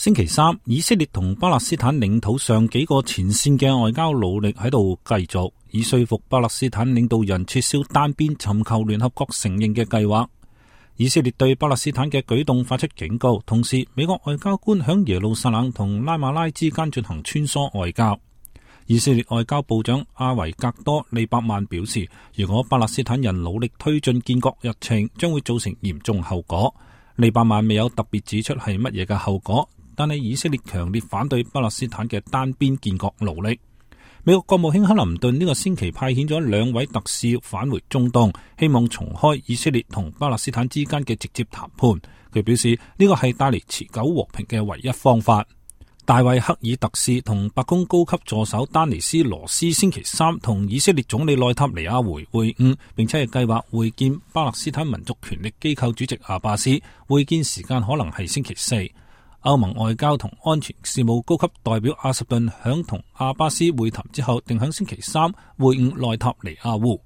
星期三，以色列同巴勒斯坦領土上幾個前線嘅外交努力喺度繼續，以說服巴勒斯坦領導人撤銷單邊尋求聯合國承認嘅計劃。以色列對巴勒斯坦嘅舉動發出警告，同時美國外交官響耶路撒冷同拉馬拉之間進行穿梭外交。以色列外交部長阿維格多利伯曼表示，如果巴勒斯坦人努力推進建國日程，將會造成嚴重後果。利伯曼未有特別指出係乜嘢嘅後果，但係以色列強烈反對巴勒斯坦嘅單邊建國努力。美國國務卿克林頓呢個星期派遣咗2位特使返回中東，希望重開以色列同巴勒斯坦之間嘅直接談判。佢表示呢個係帶嚟持久和平嘅唯一方法。大衛克爾特使同白宮高級助手丹尼斯羅斯星期三同以色列總理內塔尼亞胡會晤，並且係計劃會見巴勒斯坦民族權力機構主席阿巴斯，會見時間可能係星期4。歐盟外交同安全事務高級代表阿什頓響同阿巴斯會談之後，定響星期3會晤內塔尼亞胡。